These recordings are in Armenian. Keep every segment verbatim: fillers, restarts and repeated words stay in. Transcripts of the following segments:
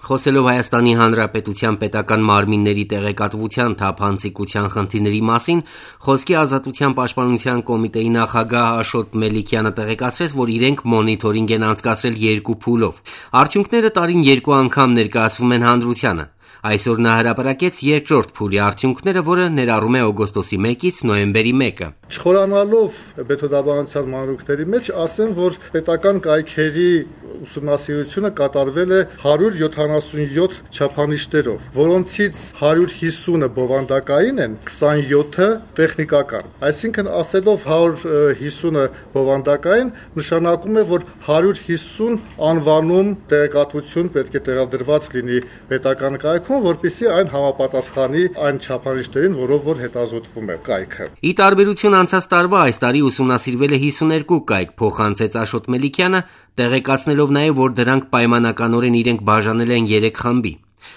Խոսելով Հայաստանի Հանրապետության պետական մարմինների տեղեկատվության թափանցիկության խնդիրների մասին, Խոսքի ազատության պաշտպանության կոմիտեի նախագահ Աշոտ Մելիքյանը տեղեկացրեց, որ իրենք մոնիթորինգ են անցկացրել երկու փուլով։ Արդյունքները տարին երկու անգամ ներկայացվում են հանրությանը։ Այսօր նա հրապարակեց երկրորդ փուլի արդյունքները, որը ներառում է օգոստոսի մեկից նոյեմբերի մեկը։ Չխորանալով մեթոդաբանության մանրուքների մեջ, ասեմ, որ պետական կայքերի ուսումնասիրությունը կատարվել է հարյուր յոթանասունյոթ չափանիշներով, որոնցից հարյուր հիսունը բովանդակային են, քսանյոթը տեխնիկական։ Այսինքն, ասելով հարյուր հիսունը բովանդակային, նշանակում է, որ հարյուր հիսուն անվանում տեղեկատվություն պետք է տեղադրված լինի պետական կայքում, որպեսզի այն համապատասխանի այն չափանիշներին, որով որ հետազոտվում է կայքը։ Ի տարբերություն անցած տարվա, այս տարի ուսումնասիրվել է հիսուներկու կայք, փոխանցեց Աշոտ Մելիքյանը, տեղեկացնելով նաև, որ դրանք պայմանականորեն իրենք բաժանել են երեք խմբի։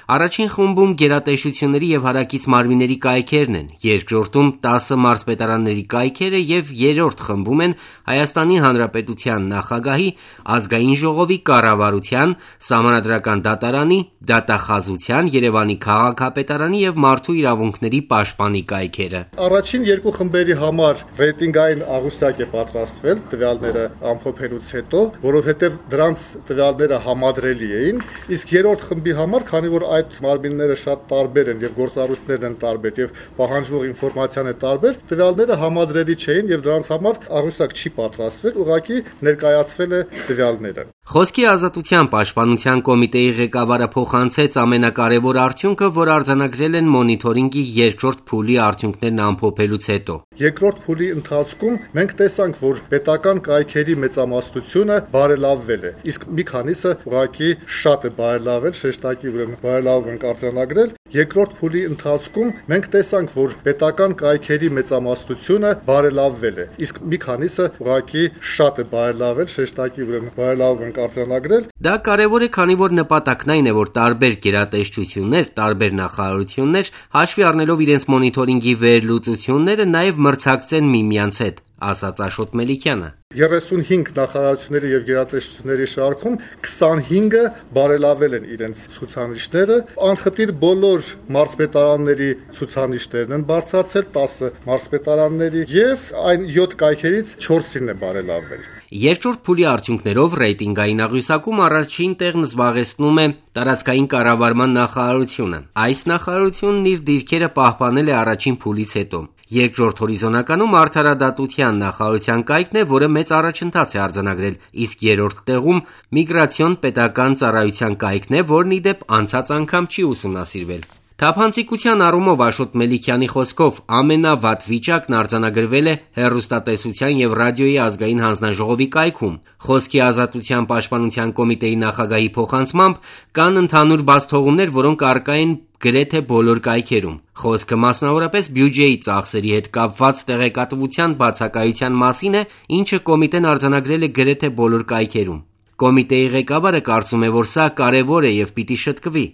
Առաջին խումբում գերատեսչությունների եւ հարակից մարմինների կայքերն են, երկրորդում տասը մարզպետարանների կայքերը եւ երրորդ խմբում են Հայաստանի Հանրապետության նախագահի, ազգային ժողովի կառավարության, Սահմանադրական դատարանի, դատախազության, Երևանի քաղաքապետարանի եւ մարդու իրավունքների պաշտպանի կայքերը։ Առաջին երկու խմբերի համար ռեյտինգային աղյուսակ է պատրաստվել տվյալները ամփոփելուց հետո, որովհետեւ դրանց տվյալները համադրելի էին, իսկ երրորդ խմբի համար, քանի որ այդ մարմինները շատ տարբեր են եւ գործառույթներն են տարբեր եւ պահանջվող ինֆորմացիան է տարբեր, տվյալները համադրելի չէին եւ դրանց համար աղյուսակ չի պատրաստվել, ուղղակի ներկայացվել է տվյալները։ Խոսքի ազատության պաշտպանության կոմիտեի ղեկավարը փոխանցեց ամենակարևոր արդյունքը, որ արձանագրել են մոնիթորինգի երկրորդ փուլի արդյունքներն ամփոփելուց հետո։ Երկրորդ փուլի ընթացքում մենք տեսանք, որ պետական կայքերի մեծամասնությունը բարելավվել է, իսկ մի քանիսը ուղղակի շատ է բարելավել, շեշտակի ուրեմն բարելավում ենք արձանագրել։ Երկրորդ փուլի ընթացքում մենք տեսանք, որ պետական կայքերի մեծամասնությունը բարելավվել է, իսկ մի քանիսը ուղղակի շատ է բարելավել, շեշտակի ուրեմն բարելավում ենք արձանագրել։ Դա կարևոր է, քանի որ նպատակն այն է, որ տարբեր գերատեսչություններ, տարբեր նախարարություններ հաշվի առնելով իրենց մոնիթորինգի վերլուծությունները նաև մրցակցեն միմյանց հետ, ասաց Աշոտ Մելիքյանը։ երեսունհինգ նախարարությունների եւ գերատեսչությունների շարքում քսանհինգը բարելավել են իրենց ցուցանիշները, անխտիր բոլոր մարզպետարանների ցուցանիշներն են բարձրացել, տասը մարզպետարանների եւ այն յոթ կայքերից չորսին է բարելավել։ Երկրորդ փուլի արդյունքներով ռեյտինգային աղյուսակում առաջին տեղն զբաղեցնում է տարածքային կառավարման նախարարությունը։ Այս նախարարությունն իր դիրքերը պահպանել է առաջին փուլից հետո։ Երկրորդ հորիզոնականում արդարադատության նախարարության կայքն է, որը մեծ առաջընթաց է արձանագրել, իսկ երրորդ տեղում միգրացիոն պետական ծառայության կայքն է, որն ի դեպ անցած անգամ չի ուսումնասիրվել։ Թափանցիկության առումով Աշոտ Մելիքյանի խոսքով ամենավատ վիճակն արձանագրվել է հեռուստատեսության եւ ռադիոյի ազգային հանձնաժողովի կայքում։ Խոսքի ազատության պաշտպանության կոմիտեի նախագահի փոխանցմամբ կան ընդհանուր բացթողումներ, որոնք առկա են գրեթե բոլոր կայքերում։ Խոսքը մասնավորապես բյուջեի ծախսերի հետ կապված տեղեկատվության բացակայության մասին է, ինչը կոմիտեն արձանագրել է գրեթե բոլոր կայքերում։ Կոմիտեի ղեկավարը կարծում է, որ սա կարևոր է եւ պիտի շտկվի։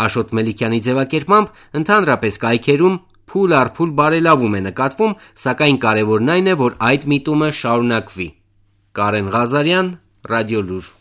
Աշոտ Մելիքյանի ձևակերպմամբ ընդհանրապես կայքերում փուլ առ փուլ բարելավում է նկատվում, սակայն կարևորն այն է, որ այդ միտումը շարունակվի։ Կարեն Ղազարյան, Ռադիոլուր։